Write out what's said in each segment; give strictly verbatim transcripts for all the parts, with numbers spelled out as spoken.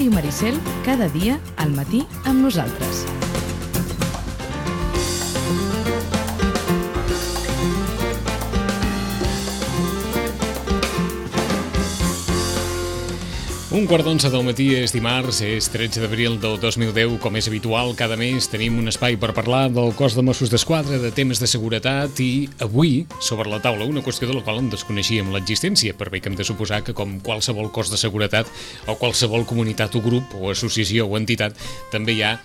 Ràdio Maricel, cada dia al matí amb nosaltres. Un quart d'onze del matí és dimarts, és tretze d'abril del dos mil deu. Com és habitual, cada mes tenim un espai per parlar del cos de Mossos d'Esquadra, de temes de seguretat, i avui, sobre la taula, una qüestió de la qual en desconeixíem l'existència, per bé que hem de suposar que, com qualsevol cos de seguretat o qualsevol comunitat o grup o associació o entitat, també hi ha,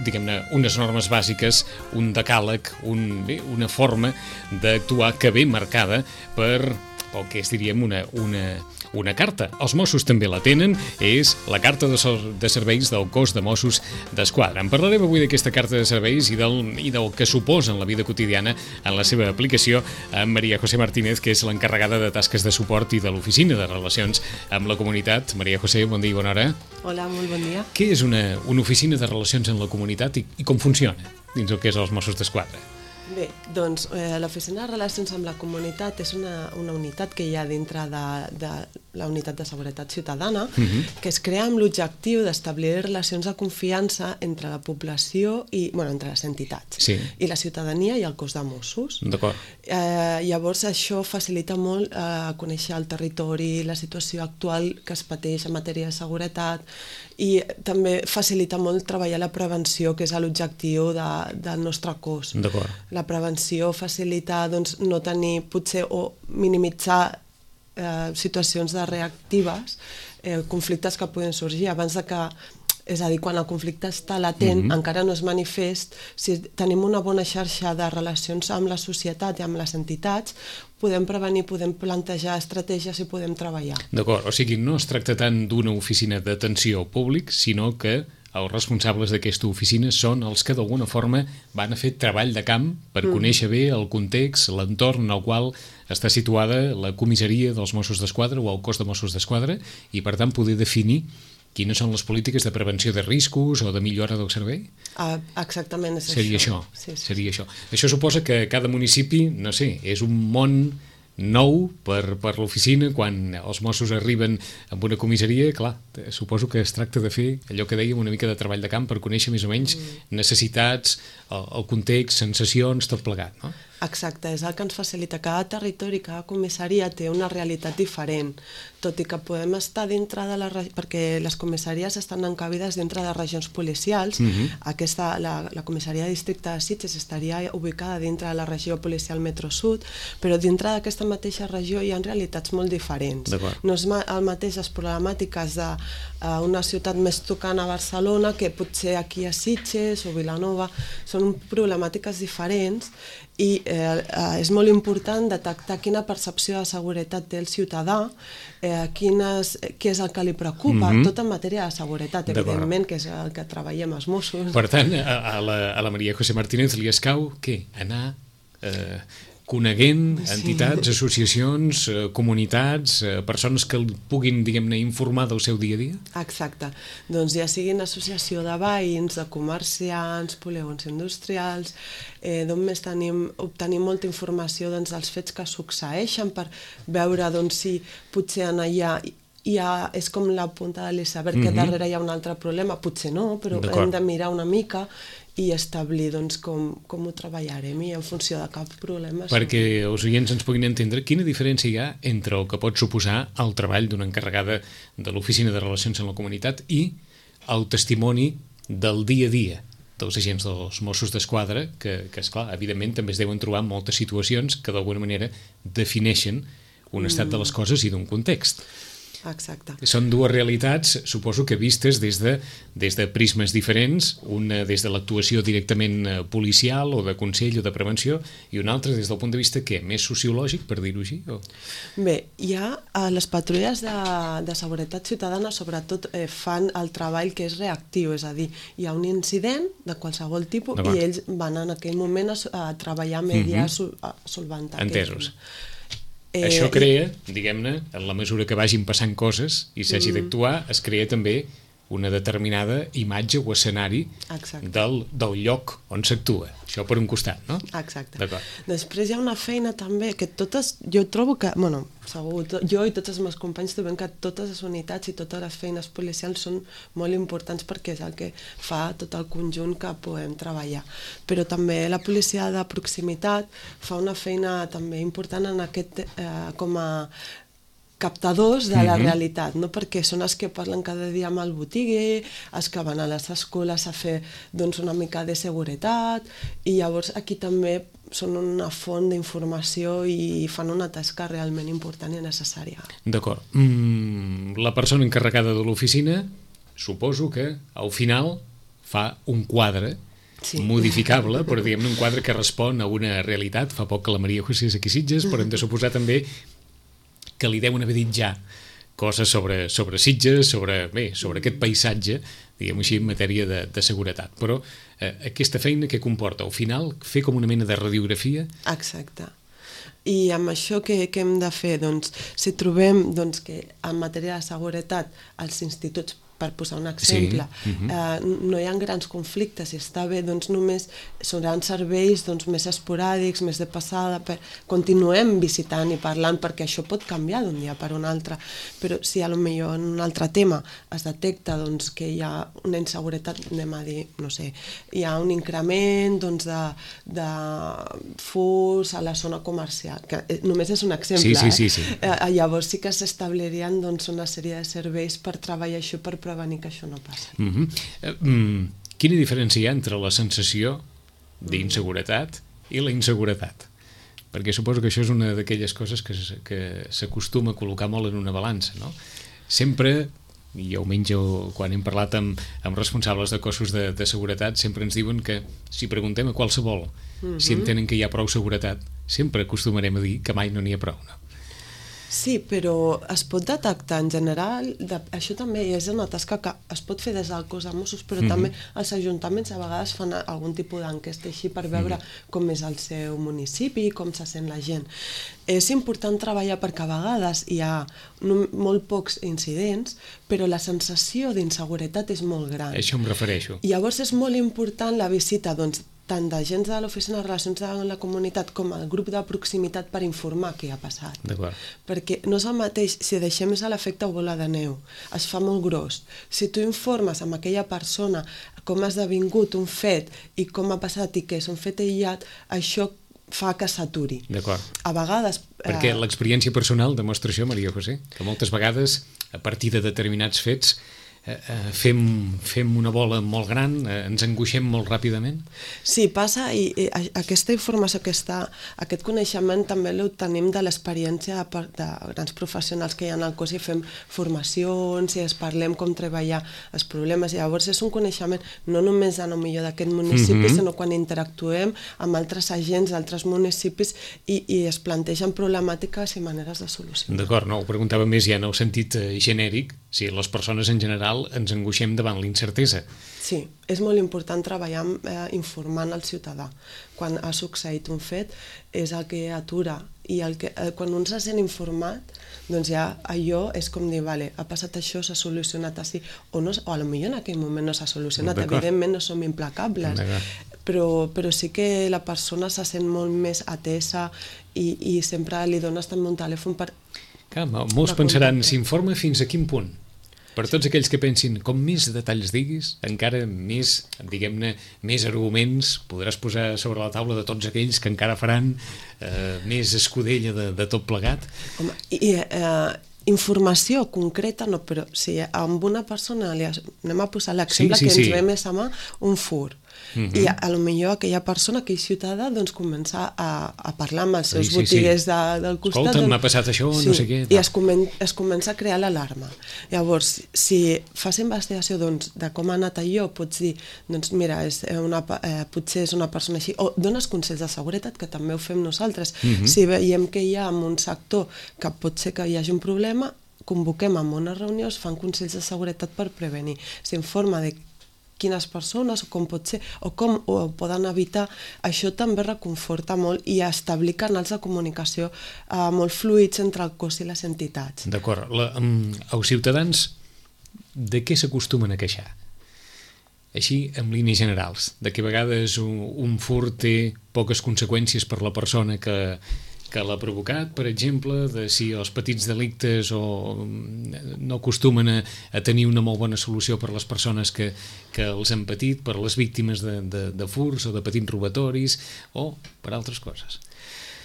diguem-ne, unes normes bàsiques, un decàleg, un, bé, una forma d'actuar que ve marcada per el que és, diríem, una, una, una carta. Els Mossos també la tenen, és la carta de, de serveis del cos de Mossos d'Esquadra. En parlarem avui d'aquesta carta de serveis i del, i del que suposa en la vida quotidiana en la seva aplicació amb María José Martínez, que és l'encarregada de tasques de suport i de l'Oficina de Relacions amb la Comunitat. María José, bon dia i bona hora. Hola, molt bon dia. Què és una, una oficina de relacions amb la comunitat i, i com funciona dins el que és els Mossos d'Esquadra? Bé, doncs eh, l'Oficina de Relacions amb la Comunitat és una, una unitat que hi ha dintre de, de la Unitat de Seguretat Ciutadana, uh-huh. que es crea amb l'objectiu d'establir relacions de confiança entre la població i, bueno, entre les entitats, sí. i la ciutadania i el cos de Mossos. D'acord. Eh, llavors això facilita molt eh, conèixer el territori, la situació actual que es pateix en matèria de seguretat, i també facilita molt treballar la prevenció, que és l'objectiu de, del nostre cos. D'acord. La prevenció facilita doncs, no tenir, potser, o minimitzar eh, situacions de reactives, eh, conflictes que poden sorgir abans de que, és a dir, quan el conflicte està latent, mm-hmm. encara no és manifest. Si tenim una bona xarxa de relacions amb la societat i amb les entitats, podem prevenir, podem plantejar estratègies i podem treballar. D'acord, o sigui, no es tracta tant d'una oficina d'atenció al públic, sinó que els responsables d'aquesta oficina són els que d'alguna forma van a fer treball de camp per mm. conèixer bé el context, l'entorn en el qual està situada la comissaria dels Mossos d'Esquadra o el cos de Mossos d'Esquadra, i per tant poder definir quines són les polítiques de prevenció de riscos o de millora del servei? Ah, exactament, és Seria això. això. Sí, sí. Seria això. Això suposa que cada municipi, no sé, és un món nou per, per l'oficina. Quan els Mossos arriben amb una comissaria, clar, suposo que es tracta de fer allò que dèiem, una mica de treball de camp per conèixer més o menys mm. necessitats, el, el context, sensacions, tot plegat, no? Exacte, és el que ens facilita. Cada territori, cada comissaria té una realitat diferent, tot i que podem estar dintre de la regió, perquè les comissaries estan encabides dintre de regions policials. Mm-hmm. Aquesta, la, la comissaria de districte de Sitges estaria ubicada dintre de la regió policial Metro Sud, però dintre d'aquesta mateixa regió hi ha realitats molt diferents. No és el mateix les problemàtiques d'una ciutat més tocant a Barcelona que potser aquí a Sitges o Vilanova. Són problemàtiques diferents i eh, eh, és molt important detectar quina percepció de seguretat té el ciutadà, eh, quines, què és el que li preocupa, mm-hmm. tot en matèria de seguretat, evidentment, que és el que treballem els Mossos. Per tant, a, a, la, a la María José Martínez li escau què? Anar eh, coneguent entitats, sí. associacions, eh, comunitats, eh, persones que el puguin, diguem-ne, informar del seu dia a dia? Exacte. Doncs ja siguin associació de veïns, de comerciants, polígons industrials, eh, d'on més tenim, obtenim molta informació doncs, dels fets que succeeixen per veure doncs, si potser en allà hi ha, és com la punta de l'iceberg, mm-hmm. que darrere hi ha un altre problema, potser no, però hem de mirar una mica i establir doncs, com, com ho treballarem i en funció de cap problema. Perquè els oients ens puguin entendre quina diferència hi ha entre el que pot suposar el treball d'una encarregada de l'Oficina de Relacions amb la Comunitat i el testimoni del dia a dia dels agents dels Mossos d'Esquadra, que, que esclar, evidentment també es deuen trobar moltes situacions que d'alguna manera defineixen un estat de les coses i d'un context. Exacte. Són dues realitats, suposo que vistes des de, des de prismes diferents, una des de l'actuació directament policial o de consell o de prevenció, i una altra des del punt de vista, què? Més sociològic, per dir-ho així? O... Bé, hi ha eh, les patrulles de, de seguretat ciutadana, sobretot eh, fan el treball que és reactiu, és a dir, hi ha un incident de qualsevol tipus i ells van en aquell moment a, a treballar a mediar, mm-hmm. a solventar. Entesos. Eh, Això crea, diguem-ne, en la mesura que vagin passant coses i s'hagi mm. d'actuar, es crea també una determinada imatge o escenari del, del lloc on s'actua. Això per un costat, no? Exacte. Després hi ha una feina també que totes, jo trobo que, bueno, segur, jo i tots els meus companys trobem que totes les unitats i totes les feines policials són molt importants perquè és el que fa tot el conjunt que podem treballar. Però també la policia de proximitat fa una feina també important en aquest, eh, com a captadors de la realitat, no? Perquè són els que parlen cada dia amb el botiguer, els que van a les escoles a fer doncs, una mica de seguretat, i llavors aquí també són una font d'informació i fan una tasca realment important i necessària. D'acord. Mm, la persona encarregada de l'oficina, suposo que al final fa un quadre sí. modificable, però diguem-ne un quadre que respon a una realitat. Fa poc que la Maria José és aquí a Sitges, però hem de suposar també que li deuen haver dit ja coses sobre, sobre Sitges, sobre, bé, sobre aquest paisatge, diguem-ho així, en matèria de, de seguretat. Però eh, aquesta feina que comporta, al final, fer com una mena de radiografia? Exacte. I amb això què, què hem de fer? Doncs, si trobem doncs, que en matèria de seguretat els instituts, per posar un exemple, sí. uh-huh. eh, no hi ha grans conflictes i està bé, doncs només seran serveis doncs, més esporàdics, més de passada, per... continuem visitant i parlant perquè això pot canviar d'un dia per un altre, però si a lo millor en un altre tema es detecta doncs, que hi ha una inseguretat, anem a dir, no sé, hi ha un increment doncs, de, de furs a la zona comercial, que només és un exemple, sí, sí, sí, sí. Eh? Eh, llavors sí que s'establirien doncs, una sèrie de serveis per treballar això, per prevenir que això no passi. Uh-huh. uh, um, quina diferència hi ha entre la sensació d'inseguretat i la inseguretat? Perquè suposo que això és una d'aquelles coses que, que s'acostuma a col·locar molt en una balança, no? Sempre, i almenys quan hem parlat amb, amb responsables de cossos de, de seguretat, sempre ens diuen que si preguntem a qualsevol uh-huh. si entenen que hi ha prou seguretat, sempre acostumarem a dir que mai no n'hi ha prou, no? Sí, però es pot detectar en general, de, això també és una tasca que es pot fer des del cos de Mossos, però mm-hmm. també els ajuntaments a vegades fan algun tipus d'enquesta així per veure mm-hmm. com és el seu municipi, com se sent la gent. És important treballar perquè a vegades hi ha no, molt pocs incidents, però la sensació d'inseguretat és molt gran. A això em refereixo. I llavors és molt important la visita, doncs, tant d'agents de l'oficina de relacions amb la comunitat com el grup de proximitat per informar què ha passat. D'acord. Perquè no és el mateix, si deixem és l'efecte bola de neu, es fa molt gros. Si tu informes amb aquella persona com ha esdevingut un fet i com ha passat i que és un fet aïllat, això fa que s'aturi. D'acord. A vegades... Perquè eh... l'experiència personal demostra això, Maria José, que moltes vegades, a partir de determinats fets, Eh, eh, fem, fem una bola molt gran, eh, ens angoixem molt ràpidament? Sí, passa, i, i aquesta informació, aquesta, aquest coneixement també l'obtenim de l'experiència de, de grans professionals que hi ha al cos i fem formacions i es parlem com treballar els problemes, i llavors és un coneixement no només a lo millor d'aquest municipi, mm-hmm. sinó quan interactuem amb altres agents d'altres municipis i, i es plantegen problemàtiques i maneres de solucionar. D'acord, no, ho preguntava més ja en el sentit eh, genèric, si les persones en general ens angoixem davant l'incertesa. Sí, és molt important treballar eh, informant el ciutadà. Quan ha succeït un fet és el que atura, i el que, eh, quan un se sent informat, doncs ja allò és com dir, vale, ha passat això, s'ha solucionat així, o, no, o a lo millor en aquell moment no s'ha solucionat, evidentment no som implacables, però, però sí que la persona se sent molt més atesa i, i sempre li dones també un telèfon per... Clar, molts pensaran, s'informa fins a quin punt? Per tots aquells que pensin, com més detalls diguis, encara més, diguem-ne, més arguments podràs posar sobre la taula de tots aquells que encara faran eh, més escudella de, de tot plegat. Home, i, eh, informació concreta no, però si amb una persona li anem a posar l'exemple sí, sí, que ens sí. ve més a mà, un fur. Uh-huh. I a, a lo millor aquella persona, aquell ciutadà, doncs comença a, a parlar amb els seus sí, sí, botiguers sí. De, del costat. Escolta, doncs, m'ha passat això, sí, no sé què. I es, comen, es comença a crear l'alarma. Llavors, si fas investigació doncs, de com ha anat allò, pots dir, doncs mira, és una, eh, potser és una persona així, o dones consells de seguretat, que també ho fem nosaltres. Uh-huh. Si veiem que hi ha en un sector que pot ser que hi hagi un problema, convoquem en una reunió, es fan consells de seguretat per prevenir. S'informa de quines persones, o com pot ser, o com ho poden evitar, això també reconforta molt i establir canals de comunicació eh, molt fluïts entre el cos i les entitats. D'acord. Um, els ciutadans de què s'acostumen a queixar? Així, en línies generals, de que a vegades un, un furt té poques conseqüències per la persona que, que l'ha provocat, per exemple, de si els petits delictes o no acostumen a, a tenir una molt bona solució per les persones que, que els han patit, per les víctimes de, de, de furts o de petits robatoris, o per altres coses.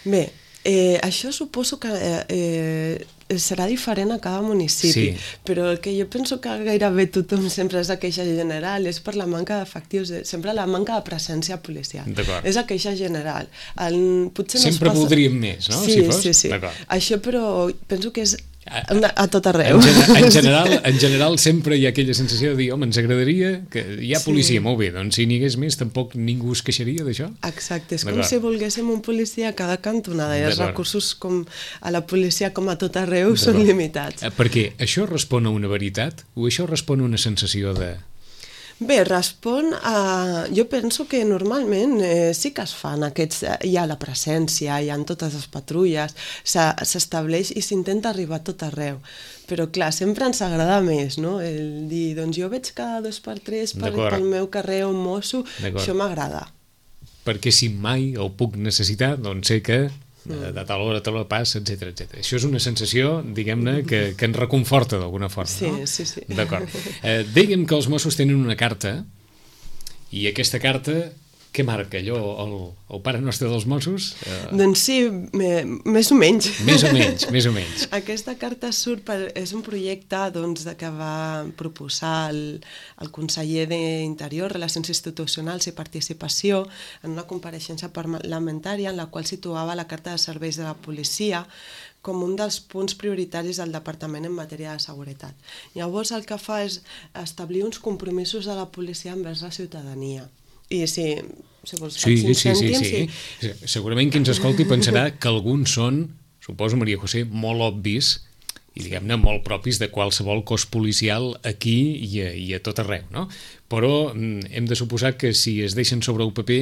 Bé, eh, això suposo que eh, eh, serà diferent a cada municipi, sí. Però el que jo penso que gairebé tothom sempre és la queixa general, és per la manca d'efectius, sempre la manca de presència policial. És la queixa general. El, potser sempre no passa... voldríem més, no? Sí, si fos? sí, sí. Això, però penso que és a, a tot arreu. En, en, general, en general sempre hi ha aquella sensació de dir, home, ens agradaria que hi ha policia, sí. Molt bé, doncs si n'hi hagués més tampoc ningú es queixaria d'això? Exacte, és com si volguéssim un policia a cada cantonada i els recursos com a la policia com a tot arreu són limitats. Perquè això respon a una veritat o això respon a una sensació de... Bé, respon a... Jo penso que normalment eh, sí que es fan aquests... Hi ha la presència, hi ha totes les patrulles, s'estableix i s'intenta arribar a tot arreu. Però clar, sempre ens agrada més, no? El dir, doncs jo veig cada dos per tres per, pel meu carrer un mosso, això m'agrada. Perquè si mai el puc necessitar, doncs sé que... De, de tal hora, tal hora passa, etcètera, etcètera. Això és una sensació, diguem-ne, que, que ens reconforta d'alguna forma, sí, no? Sí, sí. D'acord. Eh, diguem que els Mossos tenen una carta i aquesta carta, què marca allò? El, el pare nostre dels Mossos? Eh... Doncs sí, me, més o menys. Més o menys, més o menys. Aquesta carta surt per, és un projecte doncs, de que va proposar el, el conseller d'Interior, Relacions Institucionals i Participació en una compareixença parlamentària en la qual situava la Carta de Serveis de la Policia com un dels punts prioritaris del Departament en matèria de seguretat. Llavors el que fa és establir uns compromisos de la policia envers la ciutadania. I si, si vols sí, cinc sí, sí, cèntims... sí, sí. I... Segurament qui ens escolti pensarà que alguns són, suposo, Maria José, molt obvis i, diguem-ne, molt propis de qualsevol cos policial aquí i a, i a tot arreu, no? Però hem de suposar que si es deixen sobre el paper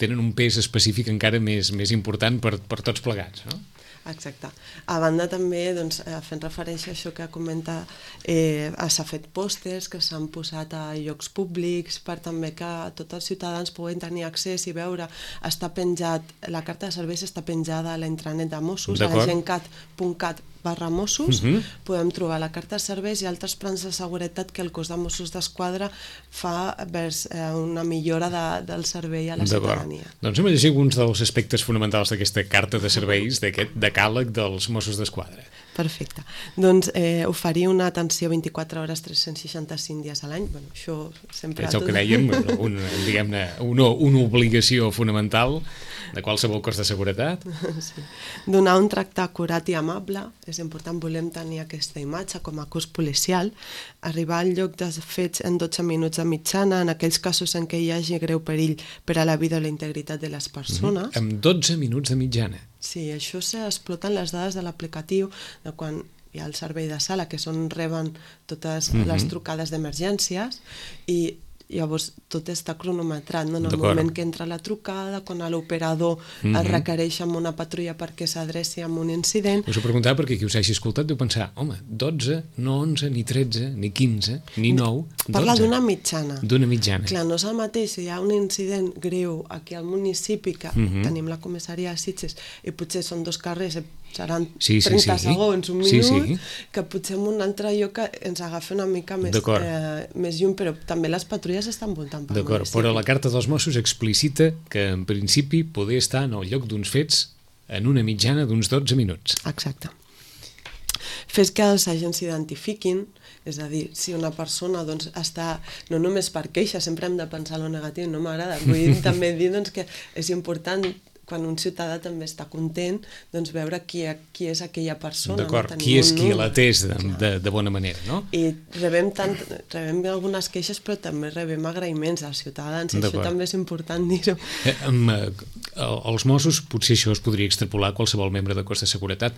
tenen un pes específic encara més, més important per, per tots plegats, no? Exacte. A banda també, doncs, fent referència a això que comenta, eh, s'ha fet pòsters que s'han posat a llocs públics per també que tots els ciutadans puguin tenir accés i veure. Està penjat, la carta de serveis està penjada a la intranet de Mossos, a la gencat punt cat barra Mossos, uh-huh. Podem trobar la carta de serveis i altres plans de seguretat que el cos de Mossos d'Esquadra fa vers eh, una millora de, del servei a la ciutadania. Doncs hem de llegir alguns dels aspectes fonamentals d'aquesta carta de serveis, d'aquest decàleg dels Mossos d'Esquadra. Perfecte. Doncs eh, oferir una atenció vint-i-quatre hores, tres-cents seixanta-cinc dies a l'any. Bueno, això sempre... És el que dèiem, un, diguem-ne, una, una obligació fonamental de qualsevol cos de seguretat. Sí. Donar un tracte acurat i amable. És important, volem tenir aquesta imatge com a cos policial. Arribar al lloc dels fets en dotze minuts de mitjana, en aquells casos en què hi hagi greu perill per a la vida o la integritat de les persones. Mm-hmm. Amb dotze minuts de mitjana. Sí, això s'exploten les dades de l'aplicatiu de quan hi ha el servei de sala, que són reben totes mm-hmm. les trucades d'emergències i llavors tot està cronometrat, no? En el moment que entra la trucada, quan l'operador mm-hmm. es requereix amb una patrulla perquè s'adreci amb un incident. Us ho preguntava perquè qui us hagi escoltat deu pensar, home, dotze, no onze, ni tretze, ni quinze, ni nou, dotze. Parla d'una mitjana. D'una mitjana. Clar, no és el mateix, si hi ha un incident greu aquí al municipi, que mm-hmm. tenim la comissaria de Sitges, i potser són dos carrers, seran sí, sí, trenta sí. segons, un minut, sí, sí. que potser en un altre lloc ens agafa una mica més, eh, més lluny, però també les patrulles estan voltant pel D'acord, municipi. Però la carta dels Mossos explicita que en principi poder estar en el lloc d'uns fets en una mitjana d'uns dotze minuts. Exacte. Fes que els agents s'identifiquin, és a dir, si una persona doncs, està, no només per queixa, sempre hem de pensar en lo negatiu, no m'agrada, vull també dir doncs, que és important quan un ciutadà també està content, doncs veure qui, qui és aquella persona. D'acord, no? qui és qui l'atès de, de, de bona manera, no? I rebem, tant, rebem algunes queixes, però també rebem agraïments als ciutadans, i això també és important dir-ho. Eh, amb, eh, els Mossos, potser això es podria extrapolar a qualsevol membre de cos de seguretat,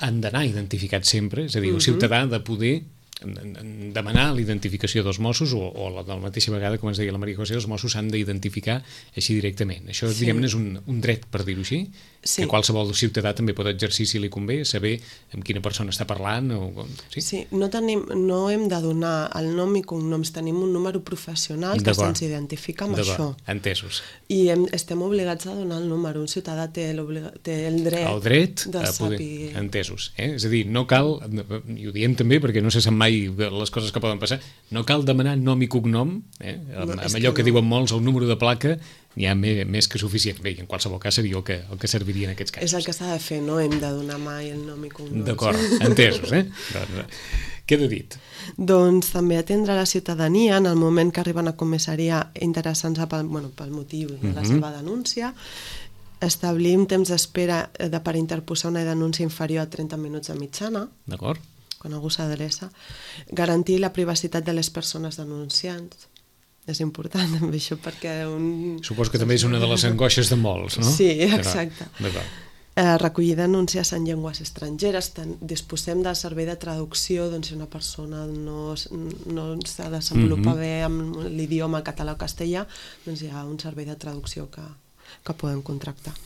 han d'anar identificats sempre, és a dir, el ciutadà ha de poder demanar l'identificació dels Mossos o, o la, de la mateixa vegada, com ens deia la Maria José, els Mossos s'han d'identificar així directament. Això, sí. diguem-ne, és un, un dret, per dir-ho així, sí. que qualsevol ciutadà també pot exercir si li convé, saber amb quina persona està parlant. O, sí, sí no, tenim, no hem de donar el nom i cognoms, tenim un número professional que se'ns identifica amb això. Entesos. I hem, estem obligats a donar el número. Un ciutadà té, té el dret, el dret de a poder... saber... Entesos. Eh? És a dir, no cal, i ho diem també perquè no se sap mai les coses que poden passar, no cal demanar nom i cognom, eh? amb, no, amb allò que, que no. diuen molts, el número de placa, n'hi ha més, més que suficient. Bé, en qualsevol cas seria el que, el que serviria en aquests casos. És el que s'ha de fer, no hem de donar mai el nom i cognoms. D'acord, entesos, eh? Doncs, queda dit. Doncs també atendre la ciutadania en el moment que arriben a comissaria interessant-se pel, bueno, pel motiu de la uh-huh. seva denúncia, establir un temps d'espera de, per interposar una denúncia inferior a trenta minuts de mitjana. D'acord. Quan algú s'adreça, garantir la privacitat de les persones denunciants. És important també això perquè... Un... Suposo que també és una de les angoixes de molts, no? Sí, exacte. D'acord. Eh, recollir denúncies en llengües estrangeres, tant, disposem del servei de traducció, doncs si una persona no, no s'ha de desenvolupar mm-hmm. bé amb l'idioma català o castellà, doncs hi ha un servei de traducció que, que podem contractar.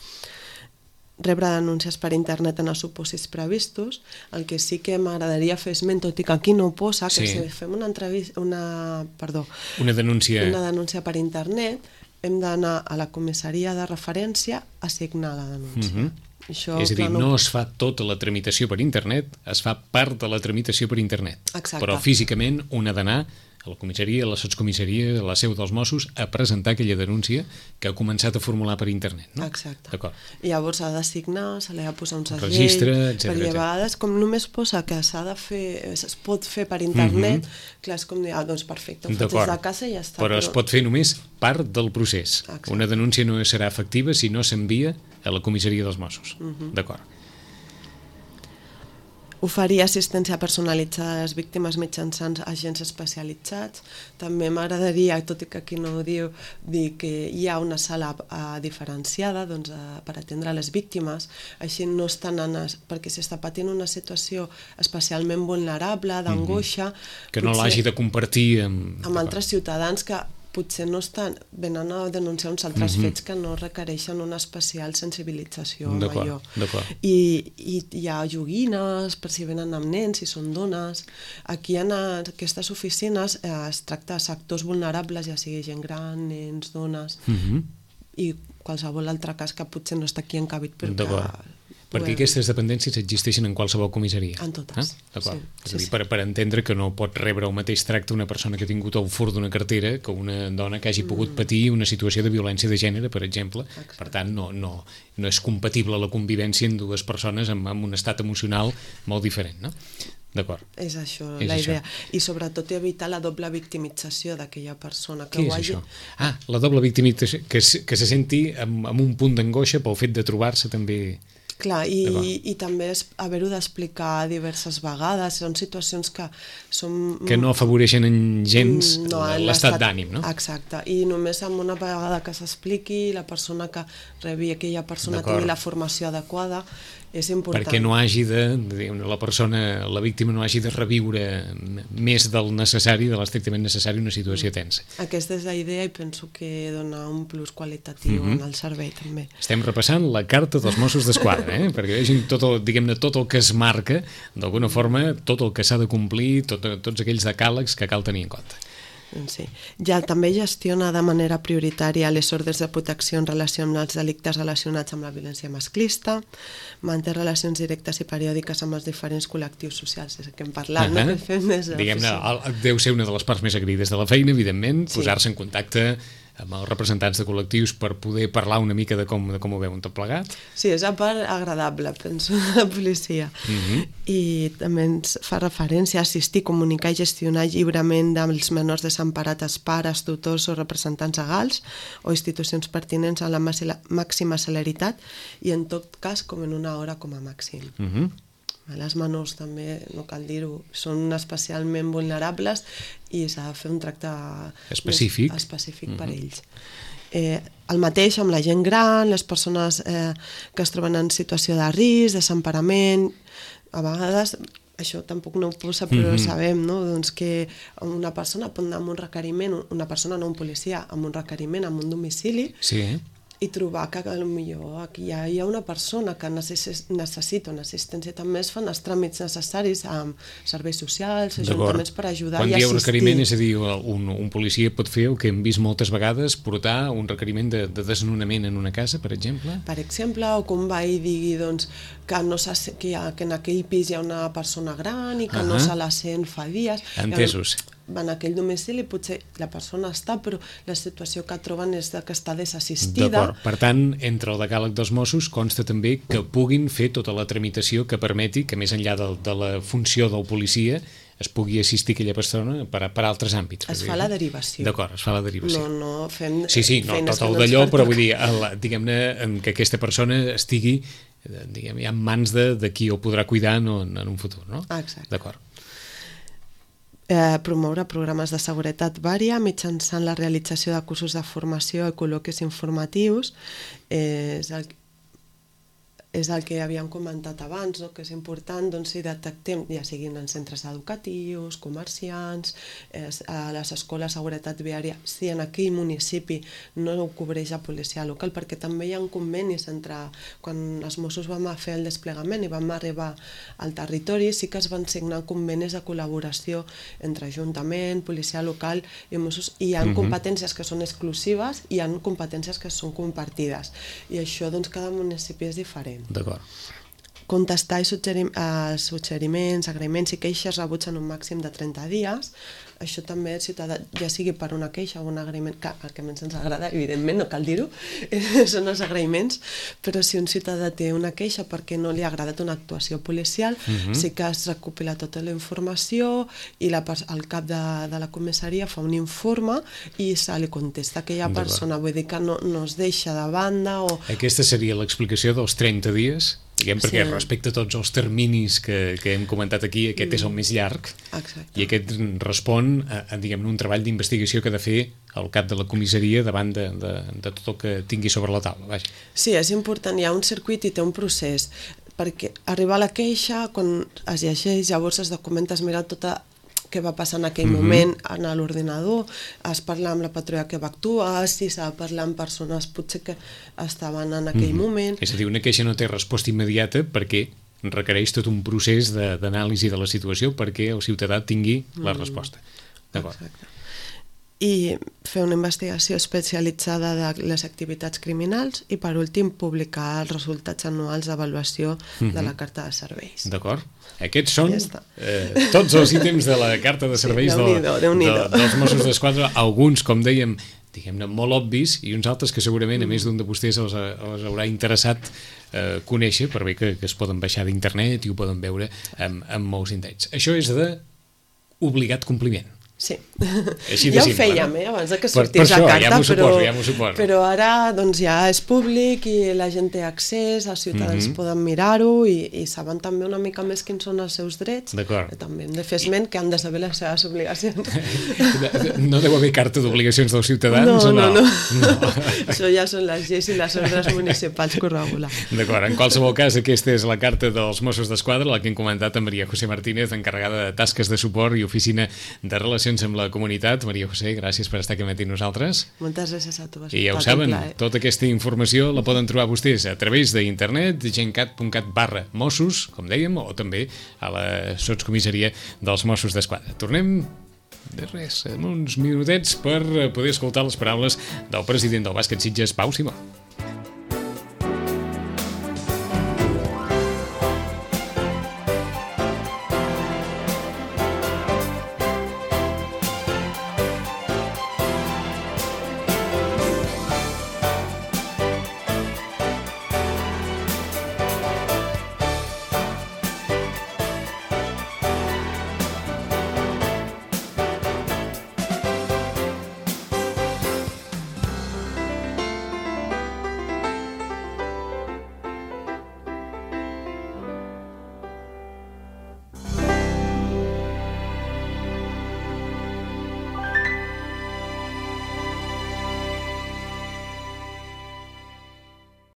Rebre denúncies per internet en els supòsits previstos. El que sí que m'agradaria fer esment, tot i que aquí no ho posa, que sí. si fem una, entrevista, una, perdó, una, denúncia... una denúncia per internet, hem d'anar a la comissaria de referència a signar la denúncia. Mm-hmm. Això, és a dir, clar, no... no es fa tota la tramitació per internet, es fa part de la tramitació per internet. Exacte. Però físicament un ha d'anar a la comissaria, a la sotscomissaria, a la seu dels Mossos, a presentar aquella denúncia que ha començat a formular per internet. No? Exacte. D'acord. I llavors s'ha de signar, se li ha de posar un segell, registre, etcètera. Perquè a vegades, com només posa que s'ha de fer, es pot fer per internet, mm-hmm. clar, és com dir, ah, doncs perfecte, ho faig des de casa i ja està. Però, però es pot fer només part del procés. Exacte. Una denúncia no serà efectiva si no s'envia a la comissaria dels Mossos. Mm-hmm. D'acord. Oferir assistència personalitzada a les víctimes mitjançant agents especialitzats. També m'agradaria, tot i que aquí no ho diu, dir que hi ha una sala uh, diferenciada doncs, uh, per atendre les víctimes, així no estan en es... perquè si està patint una situació especialment vulnerable, d'angoixa... Mm-hmm. Que no l'hagi de compartir amb... amb altres ciutadans que potser no estan, venen a denunciar uns altres mm-hmm. fets que no requereixen una especial sensibilització amb allò. I, I hi ha joguines per si venen amb nens, si són dones. Aquí en aquestes oficines eh, es tracta de sectors vulnerables, ja sigui gent gran, nens, dones, mm-hmm. i qualsevol altre cas que potser no està aquí encabit perquè... Perquè aquestes dependències existeixen en qualsevol comissaria. En totes. Eh? D'acord. Sí, és a dir, sí, per, per entendre que no pot rebre el mateix tracte una persona que ha tingut el furt d'una cartera que una dona que hagi pogut patir una situació de violència de gènere, per exemple. Exacte. Per tant, no, no, no és compatible la convivència en dues persones amb, amb un estat emocional molt diferent, no? D'acord. És això, és la idea. Això. I sobretot evitar la doble victimització d'aquella persona. Que Què és hagi... això? Ah, la doble victimització, que, que se senti amb, amb un punt d'angoixa pel fet de trobar-se també... Clar, i, i també haver-ho d'explicar diverses vegades, són situacions que són... Que no afavoreixen en gens no, l'estat d'ànim, no? Exacte, i només amb una vegada que s'expliqui, la persona que rebi aquella persona tingui la formació adequada, és important. Perquè no hagi de, la persona, la víctima no hagi de reviure més del necessari, de l'estrictament necessari, una situació tensa. Aquesta és la idea i penso que dona un plus qualitatiu mm-hmm. en el servei també. Estem repassant la carta dels Mossos d'Esquadra, eh? Perquè vegin tot el, diguem-ne, tot el que es marca, d'alguna forma, tot el que s'ha de complir, tot, tots aquells decàlegs que cal tenir en compte. Sí. Ja també gestiona de manera prioritària les ordres de protecció en relació amb els delictes relacionats amb la violència masclista, manté relacions directes i periòdiques amb els diferents col·lectius socials, és el que hem parlat, uh-huh. no? Que fem més diguem-ne, deu ser una de les parts més agraïdes de la feina, evidentment, sí. Posar-se en contacte amb els representants de col·lectius per poder parlar una mica de com, de com ho veuen tot plegat. Sí, és la part agradable, penso, de la policia. Uh-huh. I també ens fa referència a assistir, comunicar i gestionar lliurement dels menors desemparats, pares, tutors o representants legals o institucions pertinents a la màxima celeritat i en tot cas com en una hora com a màxim. Uh-huh. Les menors també, no cal dir-ho, són especialment vulnerables i s'ha de fer un tracte específic, específic uh-huh. per ells. Eh, el mateix amb la gent gran, les persones eh, que es troben en situació de risc, desemparament, a vegades això tampoc no ho posa, però Mhm. sabem, no? Doncs que una persona pot anar amb un requeriment, una persona, no un policia, amb un requeriment, amb un domicili, Sí. i trobar que potser aquí hi ha, hi ha una persona que necess, necessita una assistència, també es fan els tràmits necessaris amb serveis socials, ajuntaments per ajudar Quan i dieu assistir. requeriment, és a dir, un, un policia pot fer el que hem vist moltes vegades, portar un requeriment de, de desnonament en una casa, per exemple? Per exemple, o que un veí digui doncs, que, no se, que, hi ha, que en aquell pis hi ha una persona gran i que uh -huh. no se la sent fa dies. Entesos. En aquell domicili potser la persona està, però la situació que troben és de que està desassistida. D'acord. Per tant, entre el decàleg dels Mossos consta també que puguin fer tota la tramitació que permeti que, més enllà de, de la funció del policia, es pugui assistir aquella persona per, per altres àmbits. Es fa la derivació. D'acord, es fa la derivació. No, no fem Sí, sí, no, tot el d'allò, però vull dir, diguem-ne, que aquesta persona estigui, diguem, ja en mans de, de qui ho podrà cuidar en un, en un futur, no? Ah, exacte. D'acord. Eh, promoure programes de seguretat vària mitjançant la realització de cursos de formació i col·loquis informatius eh, és el és el que havíem comentat abans, no? Que és important doncs, si detectem, ja siguin en centres educatius, comerciants, eh, a les escoles de seguretat viària, si en aquell municipi no ho cobreix la policia local, perquè també hi ha convenis entre, quan els Mossos vam fer el desplegament i vam arribar al territori, sí que es van signar convenis de col·laboració entre Ajuntament, policia local i Mossos, i hi ha uh-huh. competències que són exclusives i hi ha competències que són compartides, i això doncs cada municipi és diferent. D'acord. Contestar i suggerir, eh, suggeriments, agraïments i queixes rebuts en un màxim de trenta dies. Això també, ciutadà, ja sigui per una queixa o un agraïment, que el que menys ens agrada, evidentment, no cal dir-ho, són els agraïments, però si un ciutadà té una queixa perquè no li ha agradat una actuació policial, uh-huh. sí que es recopila tota la informació i la, el cap de, de la comissaria fa un informe i se li contesta a aquella persona, vull dir que no, no es deixa de banda o... Aquesta seria l'explicació dels trenta dies? Diguem, perquè sí. Respecte a tots els terminis que, que hem comentat aquí, aquest mm. és el més llarg. Exacte. I aquest respon a, a diguem, un treball d'investigació que ha de fer el cap de la comissaria davant de, de, de tot el que tingui sobre la taula. Vaja. Sí, és important, hi ha un circuit i té un procés, perquè arribar a la queixa, quan es llegeix, llavors es documenta, es mira tota què va passar en aquell mm-hmm. moment en l'ordinador, es parla amb la patrulla que va actuar, si s'ha de parlar amb persones potser que estaven en aquell mm-hmm. moment. És a dir, una queixa no té resposta immediata perquè requereix tot un procés d'anàlisi de, de la situació perquè el ciutadà tingui la resposta. D'acord. Exacte. I fer una investigació especialitzada de les activitats criminals i, per últim, publicar els resultats anuals d'avaluació mm-hmm. de la carta de serveis. D'acord. Aquests són ja eh, tots els ítems de la carta de serveis sí, de, de, de, dels Mossos d'Esquadra, alguns, com dèiem, diguem-ne, molt obvis, i uns altres que segurament, a més d'un de vostès, els, els haurà interessat eh, conèixer, per bé que, que es poden baixar d'internet i ho poden veure amb, amb molts indrets. Això és de obligat compliment. Sí, Així ja simple, ho fèiem, no? eh, abans que per, sortís per això, la carta, ja però, suposo, ja suposo. però ara doncs, ja és públic i la gent té accés, els ciutadans mm-hmm. poden mirar-ho i, i saben també una mica més quins són els seus drets. D'acord. També hem de fer esment que han de saber les seves obligacions. No deu haver carta d'obligacions dels ciutadans? No, no, no. no. no. Això ja són les lleis i les ordres municipals que ho regulen. D'acord, en qualsevol cas, aquesta és la carta dels Mossos d'Esquadra, la que hem comentat amb Maria José Martínez, encarregada de tasques de suport i oficina de relacions amb la comunitat. Maria José, gràcies per estar aquí amb nosaltres. Moltes gràcies a tu. I ja ho saben, tota aquesta informació la poden trobar vostès a través d'internet, gencat punt cat barra Mossos, com dèiem, o també a la sotscomissaria dels Mossos d'Esquadra. Tornem de res, en uns minutets per poder escoltar les paraules del president del Bàsquet Sitges, Pau Simó.